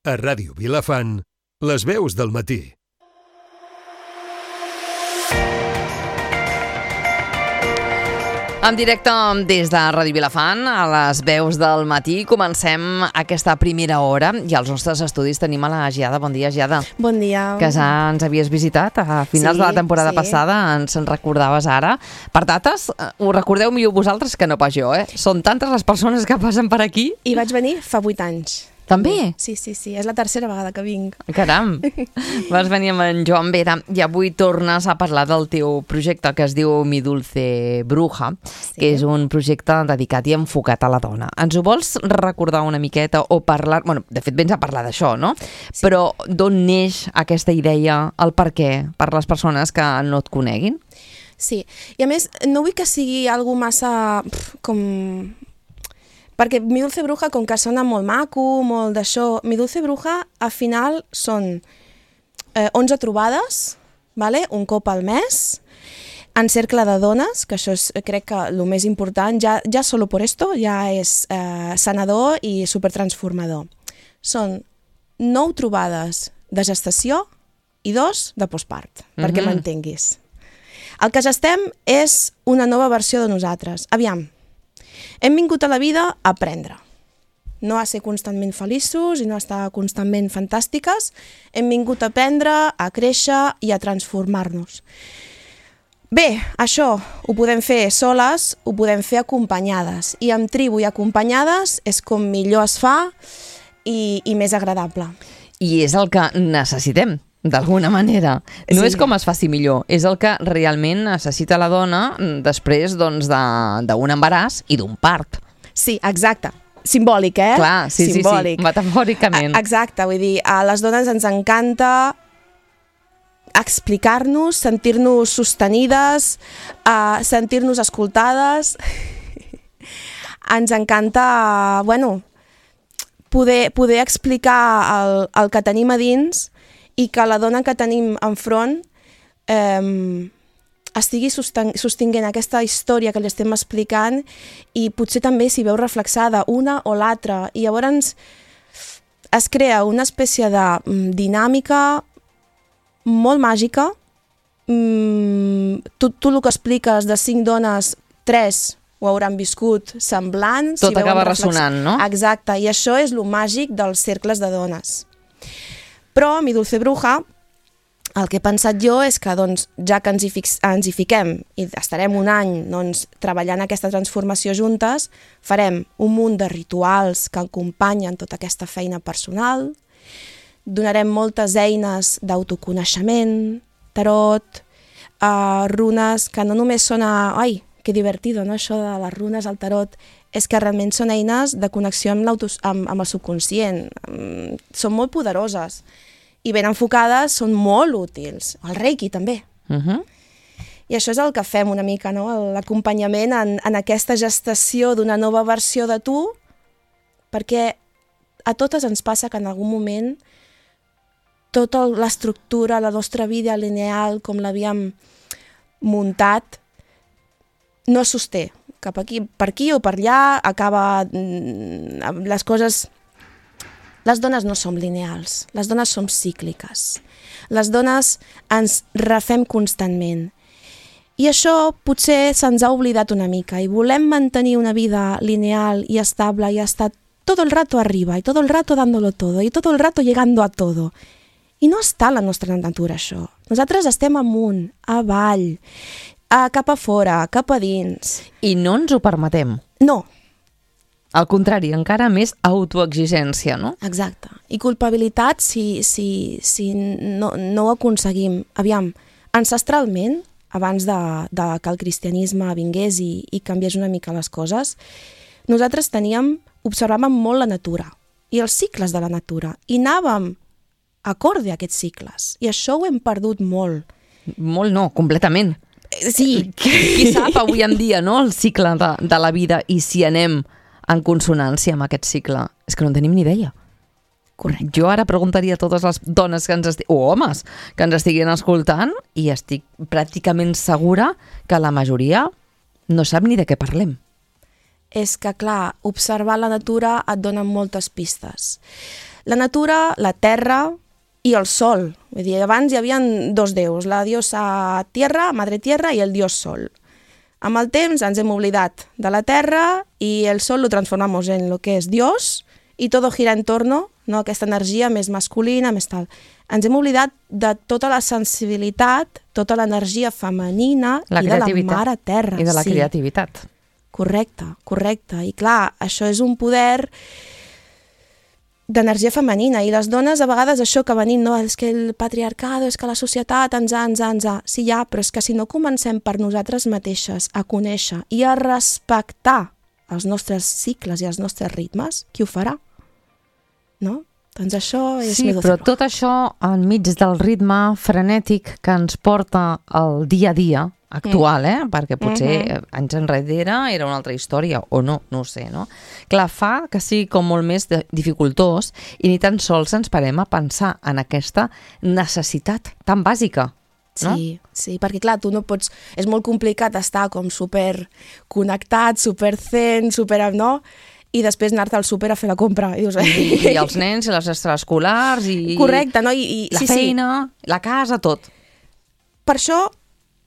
A Ràdio Vilafant, les veus del matí. En directe des de Ràdio Vilafant, a les veus del matí, comencem aquesta primera hora i als nostres estudis tenim a la Giada. Bon dia, Giada. Bon dia. Que ja ens havies visitat a finals de la temporada passada, ens en recordaves ara. Per dates, ho recordeu millor vosaltres que no pas jo, eh? Són tantes les persones que passen per aquí. I vaig venir fa 8 anys. També? Sí, és la tercera vegada que vinc. Caram, vas venir amb en Joan Vera i avui tornes a parlar del teu projecte que es diu Mi Dulce Bruja, que és un projecte dedicat i enfocat a la dona. Ens ho vols recordar una miqueta o parlar... Bueno, de fet vens a parlar d'això, no? Sí. Però d'on neix aquesta idea, el per què, per les persones que no et coneguin? Sí, i a més no vull que sigui algo massa perquè Mi Dulce Bruja, com que sona molt maco, molt d'això, Mi Dulce Bruja, al final són 11 trobades, vale? Un cop al mes, en cercle de dones, que això és, crec que el més important, ja solo por esto, ja és sanador i supertransformador. Són 9 trobades de gestació i 2 de postpart, perquè m'entenguis. El que gestem és una nova versió de nosaltres. Aviam, hem vingut a la vida a aprendre, no a ser constantment feliços i no a estar constantment fantàstiques. Hem vingut a aprendre, a créixer i a transformar-nos. Bé, això ho podem fer soles, ho podem fer acompanyades, i amb tribu i acompanyades és com millor es fa i més agradable. I és el que necessitem, d'alguna manera. No és com es faci millor, és el que realment necessita la dona després d'un embaràs i d'un part. Sí, exacte. Simbòlic, eh? Clar, sí, simbòlic. Sí, metafòricament. Exacte, vull dir, a les dones ens encanta explicar-nos, sentir-nos sostenides, sentir-nos escoltades. Ens encanta, poder explicar el que tenim a dins i que la dona que tenim enfront estigui sostinguent aquesta història que li estem explicant i potser també s'hi veu reflexada una o l'altra. I llavors es crea una espècie de dinàmica molt màgica. Tu el que expliques de 5 dones, 3 ho hauran viscut semblants. Tot acaba ressonant, no? Exacte, i això és el màgic dels cercles de dones. Però Mi Dulce Bruja, el que he pensat jo és que ja que ens hi fiquem i estarem un any treballant aquesta transformació juntes, farem un munt de rituals que acompanyen tota aquesta feina personal, donarem moltes eines d'autoconeixement, tarot, runes, que no només són ai, que divertido, no? Això de les runes al tarot, és que realment són eines de connexió amb el subconscient. Són molt poderoses i ben enfocades són molt útils. El Reiki també. I això és el que fem una mica, no? L'acompanyament en aquesta gestació d'una nova versió de tu, perquè a totes ens passa que en algun moment tota l'estructura, la nostra vida lineal, com l'havíem muntat, no es sosté. Cap aquí, per aquí o per allà, acaba les coses... Les dones no som lineals, les dones som cícliques. Les dones ens refem constantment. I això potser se'ns ha oblidat una mica i volem mantenir una vida lineal i estable i estar todo el rato arriba y todo el rato dándolo todo y todo el rato llegando a todo. I no està a la nostra natura això. Nosaltres estem amunt, avall, cap a fora, cap a dins. I no ens ho permetem. No. Al contrari, encara més autoexigència, no? Exacte. I culpabilitat si no ho aconseguim. Aviam, ancestralment, abans de que el cristianisme vingués i canviés una mica les coses, nosaltres observàvem molt la natura i els cicles de la natura i anàvem acorde a aquests cicles. I això ho hem perdut molt. Molt no, completament. Sí. Qui sap avui en dia, no?, el cicle de la vida i si anem en consonància amb aquest cicle. És que no en tenim ni idea. Correcte. Jo ara preguntaria a totes les dones o homes que ens estiguin escoltant i estic pràcticament segura que la majoria no sap ni de què parlem. És que, clar, observar la natura et dona moltes pistes. La natura, la terra i el sol. Vull dir, abans hi havia dos déus, la diosa Tierra, Madre Tierra, i el dios Sol. Amb el temps ens hem oblidat de la terra i el sol lo transformamos en lo que és Dios i todo gira en torno, no? Aquesta energia més masculina, més tal. Ens hem oblidat de tota la sensibilitat, tota l'energia femenina i de la mare terra. I de la creativitat. Correcte. I clar, això és un poder d'energia femenina i les dones a vegades això que venim, no, és que el patriarcado, és que la societat ens ha. Sí, ja, però és que si no comencem per nosaltres mateixes a conèixer i a respectar els nostres cicles i els nostres ritmes, qui ho farà? No? Doncs això és... Sí, però tot això enmig del ritme frenètic que ens porta el dia a dia actual, perquè potser anys enrere era una altra història, o no ho sé, no? Clar, fa que sigui com molt més dificultós i ni tan sols ens parem a pensar en aquesta necessitat tan bàsica, no? Sí, perquè clar, tu no pots... És molt complicat estar com super connectat, super zen, no? I després anar-te al súper a fer la compra. I els nens, i les extraescolars, i... Correcte, no? I la feina, la casa, tot. Per això,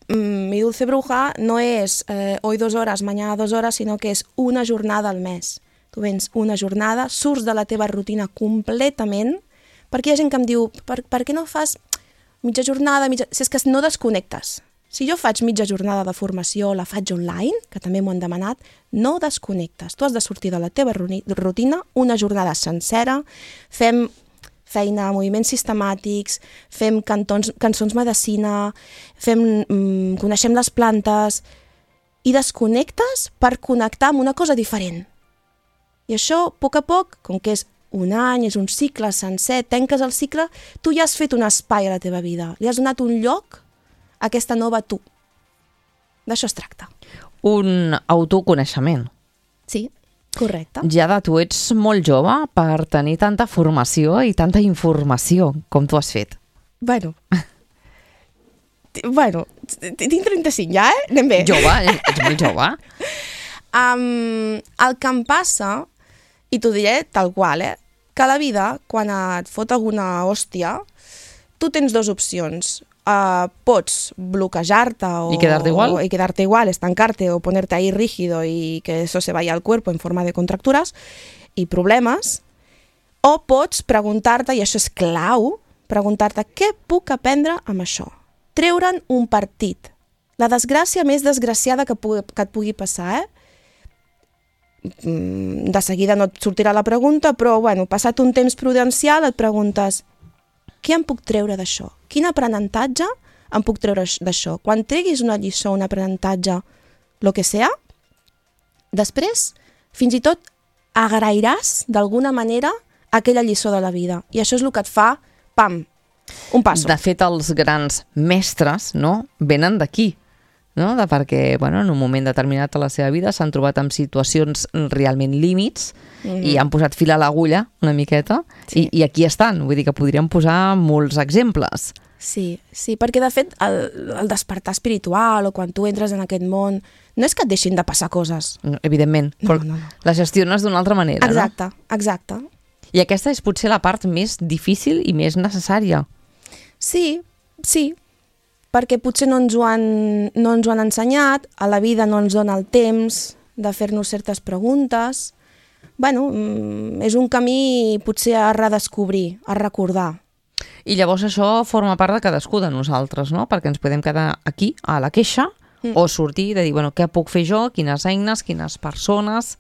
Mi Dulce Bruja no és hoy 2 horas, mañana 2 horas, sinó que és una jornada al mes. Tu vens una jornada, surts de la teva rutina completament, perquè hi ha gent que em diu, per què no fas mitja jornada, Si és que no desconnectes. Si jo faig mitja jornada de formació, la faig online, que també m'ho han demanat, no desconnectes. Tu has de sortir de la teva rutina una jornada sencera, fem feina, moviments sistemàtics, fem cançons medicina, coneixem les plantes i desconnectes per connectar amb una cosa diferent. I això, a poc, com que és un any, és un cicle sencer, tanques el cicle, tu ja has fet un espai a la teva vida, li has donat un lloc a aquesta nova tu. D'això es tracta. Un autoconeixement. Sí, correcte. Jada, tu ets molt jove per tenir tanta formació i tanta informació com tu has fet. Bueno, tinc 35 ja, Anem bé. Jove, ets molt jove. El que em passa, i t'ho diré tal qual, que a la vida, quan et fot alguna hòstia, tu tens 2 opcions. Pots bloquejar-te y quedarte igual, estancarte o ponerte ahí rígido y que eso se vaya al cuerpo en forma de contracturas y problemes, o pots preguntar-te, i això és clau, preguntar-te què puc aprendre amb això. Treure'n un partit. La desgràcia més desgraciada que et pugui passar, De seguida no et sortirà la pregunta, però passat un temps prudencial et preguntes què em puc treure d'això? Quin aprenentatge em puc treure d'això? Quan treguis una lliçó, un aprenentatge, lo que sea, després, fins i tot, agrairàs d'alguna manera aquella lliçó de la vida. I això és el que et fa, pam, un passo. De fet, els grans mestres, no?, venen d'aquí, no? Perquè, en un moment determinat de la seva vida s'han trobat en situacions realment límits i han posat fil a l'agulla una miqueta i aquí estan. Vull dir que podríem posar molts exemples. Sí, perquè de fet el despertar espiritual o quan tu entres en aquest món no és que et deixin de passar coses. Evidentment, però la gestiones d'una altra manera, exacte, no? Exacte. I aquesta és potser la part més difícil i més necessària. Sí, perquè potser no ens ho han ensenyat, a la vida no ens dona el temps de fer-nos certes preguntes. És un camí potser a redescobrir, a recordar. I llavors això forma part de cadascú de nosaltres, no? Perquè ens podem quedar aquí, a la queixa, o sortir de dir, què puc fer jo, quines eines, quines persones...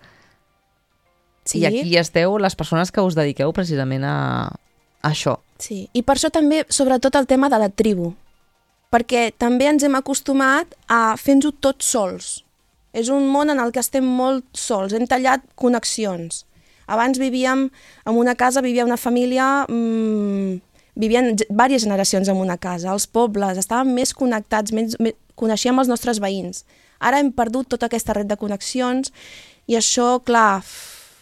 Sí. I aquí esteu les persones que us dediqueu precisament a això. Sí, i per això també, sobretot, el tema de la tribu. Perquè també ens hem acostumat a fer-nos-ho tots sols. És un món en el que estem molt sols, hem tallat connexions. Abans vivíem en una casa, vivia una família, vivien diverses generacions en una casa, els pobles, estàvem més connectats, coneixíem els nostres veïns. Ara hem perdut tota aquesta red de connexions i això, clar,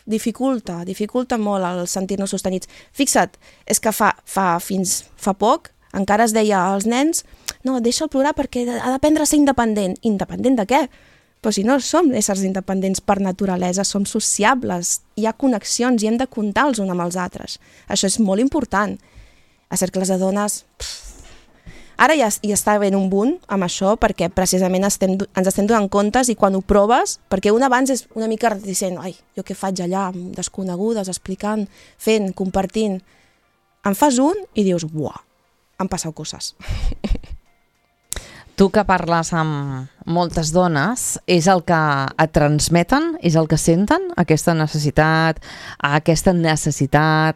dificulta molt el sentir-nos sostenits. Fixa't, és que fins fa poc encara es deia als nens no, deixa'l plorar perquè ha d'aprendre a ser independent. Independent de què? Però si no som éssers independents per naturalesa, som sociables, hi ha connexions i hem de comptar els uns amb els altres. Això és molt important. A cercles de dones... Ara ja està ben un boom amb això, perquè precisament ens estem donant comptes i quan ho proves, perquè un abans és una mica reticent, ai, jo què faig allà, amb desconegudes, explicant, fent, compartint. En fas un i dius, uah, han passat coses. Tu que parles amb moltes dones, és el que et transmeten, és el que senten, aquesta necessitat,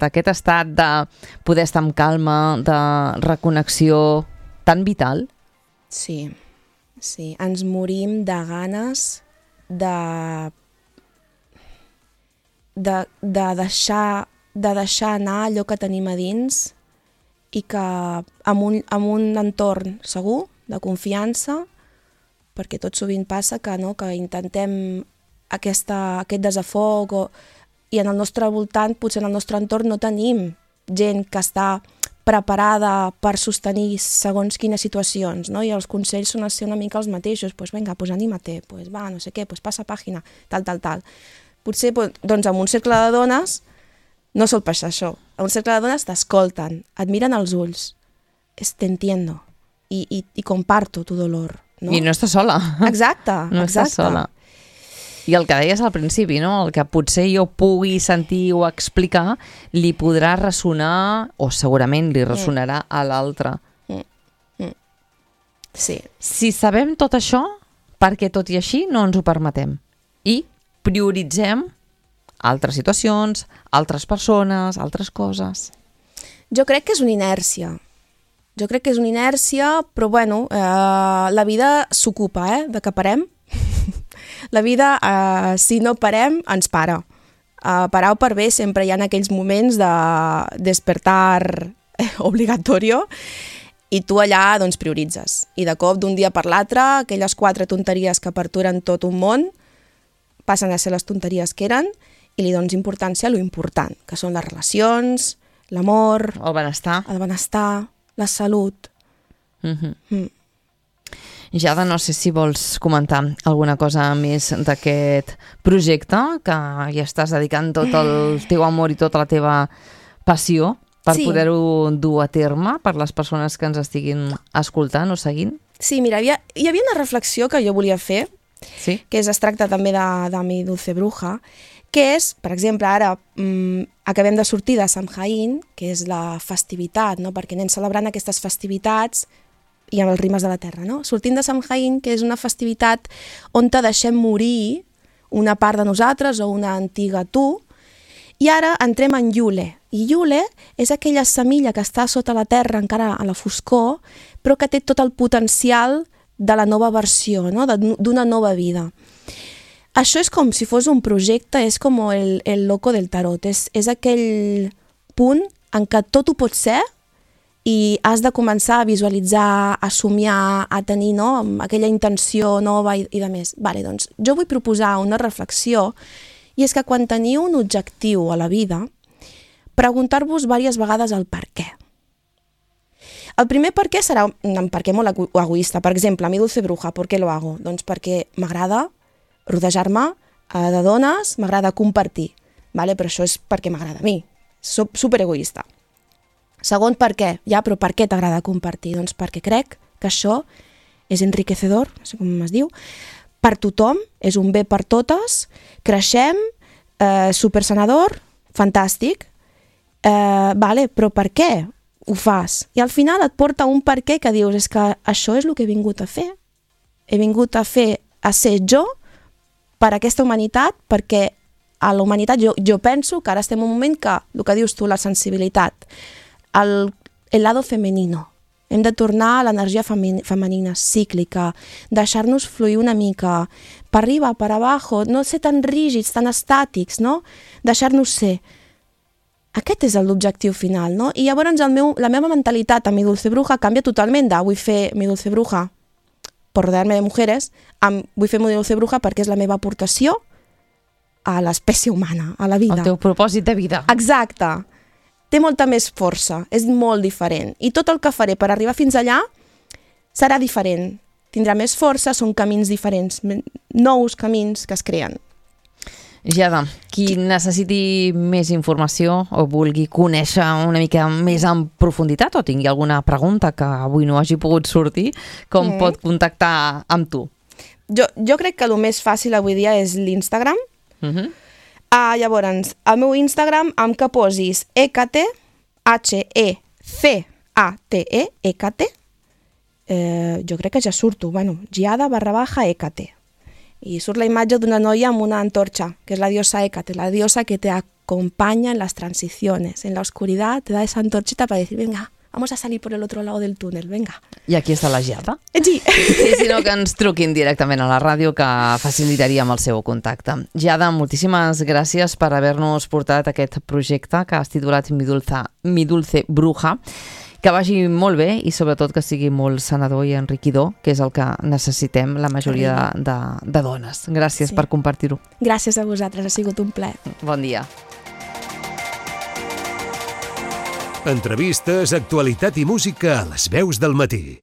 aquest estat de poder estar amb calma, de reconnexió tan vital? Sí, ens morim de ganes de deixar anar allò que tenim a dins i que amb un entorn segur, de confiança, perquè tot sovint passa que intentem aquest desafoc i en el nostre voltant, potser en el nostre entorn no tenim gent que està preparada per sostenir segons quines situacions, no? I els consells són una mica els mateixos, doncs vinga, anímate, va, no sé què, passa pàgina, tal. Potser, doncs, en un cercle de dones no sol passar això. En un cercle de dones t'escolten, et miren als ulls, t'entiendo y comparto tu dolor, no? I no estàs sola. Exacte, no estàs sola. I el que deies al principi, no? El que potser jo pugui sentir o explicar li podrà ressonar, o segurament li ressonarà a l'altre. Sí. Si sabem tot això, perquè tot i així no ens ho permetem. I prioritzem altres situacions, altres persones, altres coses. Jo crec que és una inèrcia. Però bueno, la vida s'ocupa, de que parem. La vida, si no parem, ens para. Parar o per bé sempre hi ha aquells moments de despertar obligatorio i tu allà doncs prioritzes. I de cop, d'un dia per l'altre, aquelles 4 tonteries que perturen tot un món passen a ser les tonteries que eren i li dones importància a lo important, que són les relacions, l'amor, el benestar, la salut. Jada, no sé si vols comentar alguna cosa més d'aquest projecte, que ja estàs dedicant tot el teu amor i tota la teva passió per poder-ho dur a terme per les persones que ens estiguin escoltant o seguint. Sí, mira, hi havia una reflexió que jo volia fer, que es tracta també de Mi Dulce Bruja, que és, per exemple, ara acabem de sortir de Samhain, que és la festivitat, no? Perquè anem celebrant aquestes festivitats i amb els rimes de la terra, no? Sortint de Samhain, que és una festivitat on te deixem morir una part de nosaltres o una antiga tu, i ara entrem en Yule. I Yule és aquella semilla que està sota la terra, encara a la foscor, però que té tot el potencial de la nova versió, no? D'una nova vida. Això és com si fos un projecte, és com el loco del tarot, és aquell punt en què tot ho pot ser i has de començar a visualitzar, a somiar, a tenir aquella intenció nova i de més. Vale, doncs, jo vull proposar una reflexió i és que quan teniu un objectiu a la vida, preguntar-vos diverses vegades el per què. El primer per què serà un per què molt egoista. Per exemple, Mi Dulce Bruja, ¿por qué lo hago? Doncs perquè m'agrada rodejar-me de dones, m'agrada compartir, vale? Però això és perquè m'agrada a mi, soc superegoista. Segon, per què? Ja, però per què t'agrada compartir? Doncs perquè crec que això és enriquecedor, no sé com es diu, per tothom, és un bé per totes, creixem, supersanador, fantàstic, vale, però per què ho fas? I al final et porta un per què que dius, és que això és el que he vingut a fer. He vingut a ser jo per aquesta humanitat, perquè a la humanitat jo penso que ara estem en un moment que, el que dius tu, la sensibilitat, el lado femenino. Hem de tornar a l'energia femenina, cíclica, deixar-nos fluir una mica, per arriba, per abajo, no ser tan rígids, tan estàtics, no? Deixar-nos ser. Aquest és l'objectiu final, no? I llavors la meva mentalitat a Mi Dulce Bruja canvia totalment de vull fer Mi Dulce Bruja per rodear-me de mujeres, vull fer Mi Dulce Bruja perquè és la meva aportació a l'espècie humana, a la vida. El teu propòsit de vida. Exacte. Té molta més força, és molt diferent. I tot el que faré per arribar fins allà serà diferent. tindrà més força, són camins diferents, nous camins que es creen. Giada, qui necessiti més informació o vulgui conèixer una mica més en profunditat o tingui alguna pregunta que avui no hagi pogut sortir, com pot contactar amb tu? Jo crec que el més fàcil avui dia és l'Instagram. Llavors, al meu Instagram, amb que posis ECATE, HECATE, ECATE, jo crec que ja surto, Giada_ECATE. I surt la imatge d'una noia amb una antorcha, que és la diosa Hécate, la diosa que te acompaña en las transiciones. En la oscuridad te da esa antorchita para decir, venga, vamos a salir por el otro lado del túnel, venga. I aquí està la Giada. Sí. I si no, que ens truquin directament a la ràdio, que facilitaríem el seu contacte. Giada, moltíssimes gràcies per haver-nos portat aquest projecte que has titulat Mi Dulce Bruja. Que vagi molt bé i sobretot que sigui molt sanador i enriquidor, que és el que necessitem la majoria de dones. Gràcies per compartir-ho. Gràcies a vosaltres, ha sigut un plaer. Bon dia. Entrevistes, actualitat i música a les veus del matí.